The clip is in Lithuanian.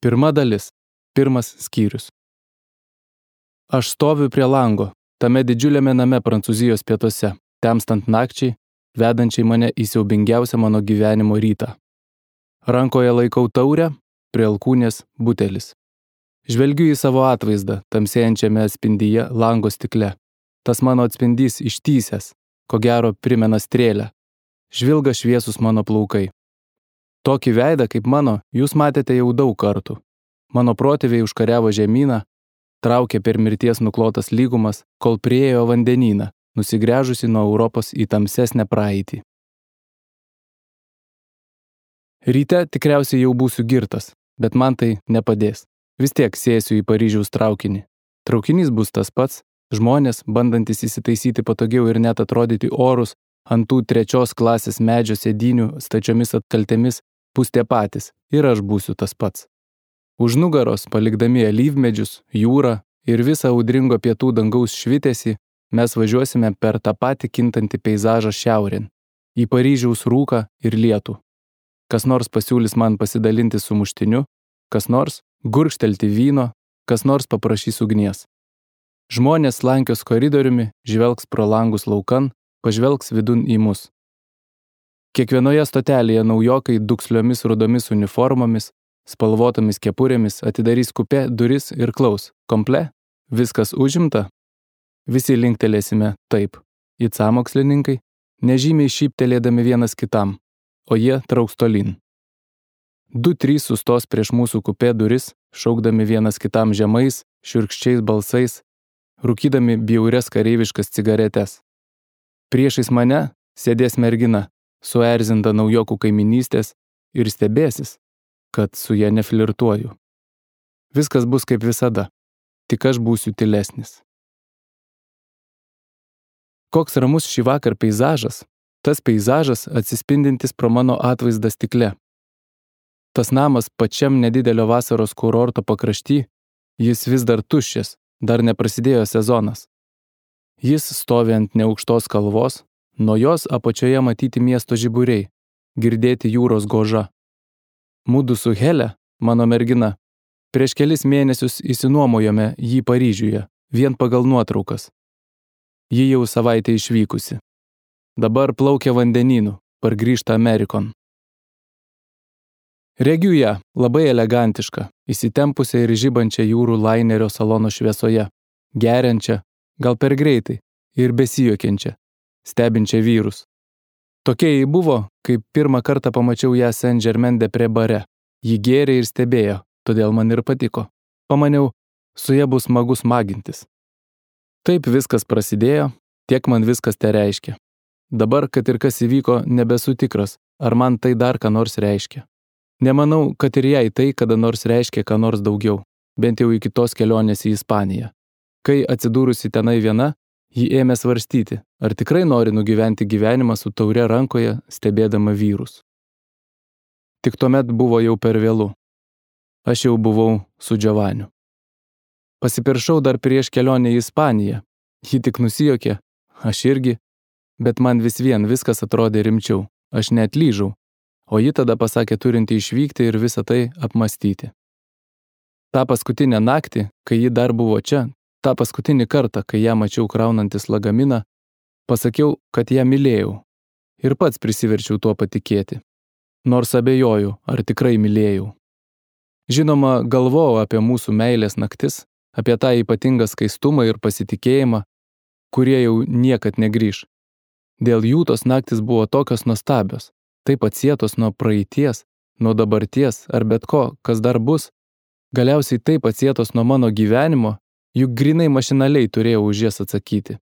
Pirma dalis. Pirmas skyrius. Aš stoviu prie lango, tame didžiuliame name Prancūzijos pietuose, temstant nakčiai, vedančiai mane į siaubingiausią mano gyvenimo rytą. Rankoje laikau taurę, prie alkūnės butelis. Žvelgiu į savo atvaizdą, tamsėjančiame atspindyje lango stikle. Tas mano atspindys ištįsęs, ko gero primena strėlę. Žvilga šviesus mano plaukai. Tokį veidą kaip mano jūs matėte jau daug kartų. Mano protėviai užkariavo žemyną, traukė per mirties nuklotas lygumas, kol priėjo vandenyną, nusigręžusi nuo Europos į tamsesnę praeitį. Ryte tikriausiai jau būsiu girtas, bet man tai nepadės. Vis tiek sėsiu į Paryžiaus traukinį. Traukinys bus tas pats, žmonės, bandantis įsitaisyti patogiau ir net atrodyti orus, ant tų 3. klasės medžio sėdynių stačiomis atkaltėmis bus tie patys ir aš būsiu tas pats. Už nugaros, palikdami alyvmedžius, jūrą ir visą audringo pietų dangaus švitesį, mes važiuosime per tą patį kintantį peizažą šiaurėn, į Paryžiaus rūką ir lietų. Kas nors pasiūlys man pasidalinti sumuštiniu, kas nors gurkštelti vyno, kas nors paprašys ugnies. Žmonės slankios koridoriumi, žvelgs pro langus laukan, pažvelgs vidun į mus. Kiekvienoje stotelėje naujokai duksliomis rudomis uniformomis, spalvotomis kepurėmis atidarys kupė duris ir klaus. Komple? Viskas užimta? Visi linktelėsime taip. It sąmokslininkai, nežymiai šyptelėdami vienas kitam, o jie trauks tolyn. 2-3 sustos prieš mūsų kupė duris, šaukdami vienas kitam žemais, šiurkščiais balsais, rūkydami bjaurias kareiviškas cigaretes. Priešais mane sėdės mergina, suerzinta naujokų kaiminystės ir stebėsis, kad su ja neflirtuoju. Viskas bus kaip visada, tik aš būsiu tylesnis. Koks ramus šį vakar peizažas, tas peizažas atsispindintis pro mano atvaizdą stikle. Tas namas pačiam nedidelio vasaros kurorto pakrašty, jis vis dar tuščias, dar neprasidėjo sezonas. Jis stovi ant neaukštos kalvos, nuo jos apačioje matyti miesto žiburiai, girdėti jūros goža. Mudu su Hele, mano mergina, prieš kelis mėnesius įsinuomojome jį Paryžiuje, vien pagal nuotraukas. Ji jau savaitę išvykusi. Dabar plaukia vandenynu, pargrįžta Amerikon. Regiu ją, labai elegantišką, įsitempusią ir žibančią jūrų lainerio salono šviesoje, geriančią, gal per greitai, ir besijuokiančią, stebinčią vyrus. Tokia jai buvo, kai pirmą kartą pamačiau ją Saint-Germain-des-Prés bare. Ji gėrė ir stebėjo, todėl man ir patiko. Pamaniau, su ja bus smagu smagintis. Taip viskas prasidėjo, tiek man viskas te reiškia. Dabar, kad ir kas įvyko, nebesu tikras, ar man tai dar ką nors reiškia. Nemanau, kad ir jai tai kada nors reiškia ką nors daugiau, bent jau iki tos kelionės į Ispaniją. Kai atsidūrusi tenai viena, ji ėmė svarstyti, ar tikrai nori nugyventi gyvenimą su taure rankoje, stebėdama vyrus. Tik tuomet buvo jau per vėlu. Aš jau buvau su Giovaniu. Pasipiršau dar prieš kelionę į Ispaniją. Ji tik nusijuokė, aš irgi, bet man vis vien viskas atrodė rimčiau. Aš neatlyžau, o ji tada pasakė turinti išvykti ir visą tai apmąstyti. Ta paskutinę naktį, kai ji dar buvo čia, tą paskutinį kartą, kai ją mačiau kraunantis lagaminą, pasakiau, kad ją mylėjau. Ir pats prisiverčiau tuo patikėti. Nors abejoju, ar tikrai mylėjau. Žinoma, galvojau apie mūsų meilės naktis, apie tą ypatingą skaistumą ir pasitikėjimą, kurie jau niekad negrįš. Dėl jų tos naktis buvo tokios nuostabios, taip atsietos nuo praeities, nuo dabarties ar bet ko, kas dar bus, galiausiai taip atsietos nuo mano gyvenimo, juk grinai mašinaliai turėjau už jas atsakyti.